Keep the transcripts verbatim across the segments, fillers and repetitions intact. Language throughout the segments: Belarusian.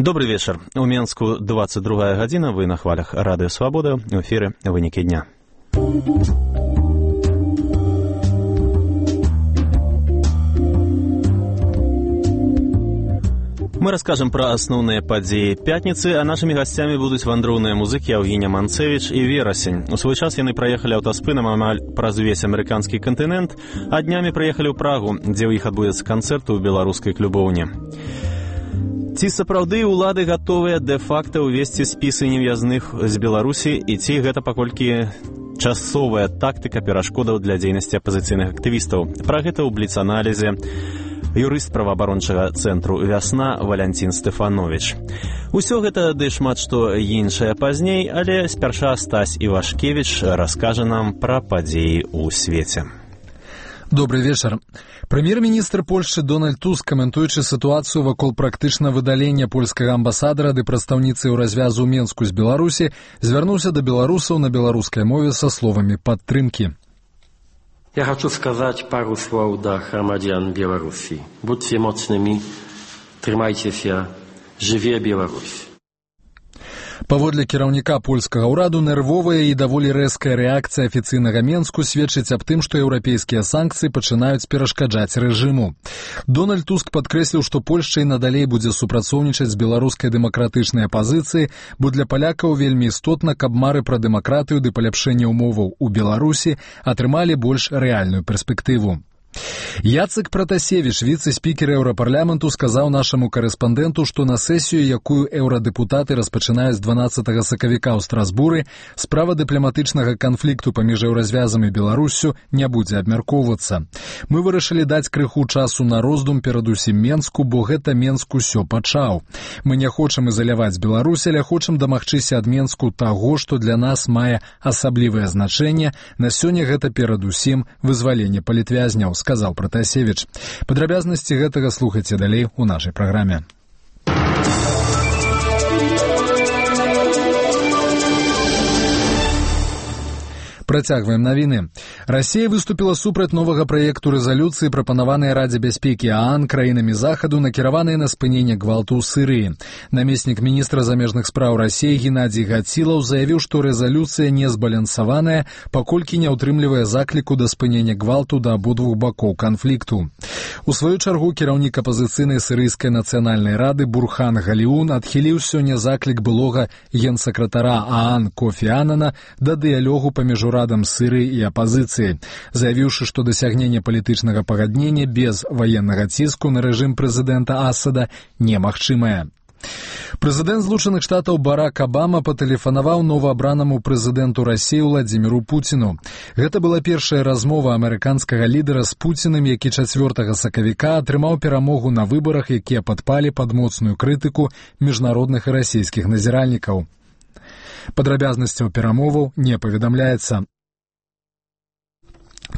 Добрый вечер. У Менску двадцать другая гадзіна, вы на хвалях Радыё Свабода, в эфире «Вынікі дня». Мы расскажем про основные подзеи пятницы, а нашими гостями будут вандроўныя музыкі Евгения Манцевич и Верасень. У свой час яны проехали аўтаспынам амаль праз увесь американский континент, а днями проехали ў Прагу, где у іх адбудзецца канцэрт у беларускай клубоўні. Ці сапраўды ўлады гатовыя дэ-факта ўвесці спісы нев'язных з Беларусі, і ці гэта паколькі часовая тактыка перашкодаў для дзейнасці апазіцыйных актывістаў? Пра гэта ў бліц-аналізе юрыст праваабарончага цэнтру «Вясна» Валянцін Стэфанович. Усё гэта ды шмат што іншае пазней, але спярша Стась Івашкевіч раскажа нам пра падзеі ў свеце. Добрый вечер. Прэм'ер-міністр Польшчы Дональд Туск, каментуючы сітуацыю вакол практычна выдалення польскага амбасадара ды прадстаўніцы ў развязу ў Менску з Беларусі, звярнуўся да беларусаў на беларускай мове са словамі падтрымкі. Ja хочу сказать пару слов до громадян Беларуси. Будьте мощными, трымайтеся, жыве Беларусь. Паводле кіраўніка польскага ўраду, нервовая і даволі рэзкая рэакцыя афіцыйнага Менску сведчыць аб тым, што еўрапейскія санкцыі пачынаюць перашкаджаць рэжыму. Дональд Туск падкрэсліў, што Польшча і надалей будзе супрацоўнічаць з беларускай дэмакратычнай апазіцыяй, бо для палякаў вельмі істотна, каб мары пра дэмакратыю ды паляпшэнне ўмоваў у Беларусі атрымалі больш рэальную перспектыву. Яцек Пратасевіч, віцэ-спікер Еўрапарламенту, сказаў нашаму карэспандэнту, што на сесію, якую еўрадэпутаты распачынаюць дванаццатага сакавіка ў Страсбуры, справа дыпламатычнага канфлікту паміж еўразвязам і Беларуссю не будзе абмяркоўвацца. Мы вырашылі даць крыху часу на роздум перадусім Менску, бо гэта Менск усё пачаў. Мы не хочам ізаляваць Беларусь, але хочам дамагчыся ад Менску таго, што для нас мае асаблівае значэнне. На сёння гэта перадусім вызваленне палітвязняў, сказал Пратасевич. Падрабязнасці гэтага слухайце далей у нашай праграме. Працягваем навіны. Расія выступіла супраць новага праекту рэзалюцыі, прапанаванай Радзе бяспекі ААН краінамі Захаду, накіраванай на спыненне гвалту ў Сырыі. Намеснік міністра замежных спраў Расіі Геннадзій Гацілаў заявіў, што рэзалюцыя не збалансаваная, паколькі не ўтрымлівае закліку да спынення гвалту да абодвух бакоў канфлікту. У сваю чаргу кіраўнік апазіцыйнай сірыйскай нацыянальнай рады Бурхан Галіун адхіліў сёння заклік былога генсакратара ААН Кофі Анана да дыялогу паміж урадам Сырыі і апазіцыі, заявіўшы, што дасягненне палітычнага пагаднення без ваеннага ціску на рэжым прэзідэнта Асада немагчымае. Прэзідэнт Злучаных Штатаў Барак Абама патэлефанаваў новаабранаму прэзідэнту Расіі Владзіміру Пуціну. Гэта была першая размова амерыканскага лідара з Пуцінам, які чацвёртага сакавіка атрымаў перамогу на выбарах, якія падпалі пад моцную крытыку міжнародных і расійскіх назіральнікаў. Падрабязнасцяў перамоваў не паведамляецца.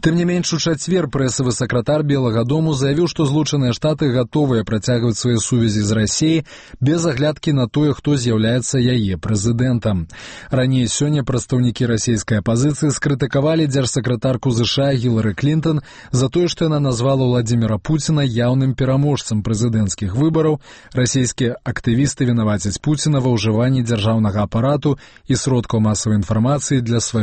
Тым не менш, у чацвер прэсавы сакратар Белага дому заявіў, што Злучаныя Штаты гатовыя працягваць свае сувязі з Расіяй без аглядкі на тое, хто з'яўляецца яе прэзідэнтам. Раней сёння прадстаўнікі расійскай апазіцыі скрытыкавалі дзяржсакратарку ЗША Гілары Клінтон за тое, што яна назвала Владзіміра Пуціна яўным пераможцам прэзідэнцкіх выбараў. Расійскія актывісты вінавацяць Пуціна ва ўжыванні дзяржаўнага апарату і сродкаў масавай інфармацыі для сваёй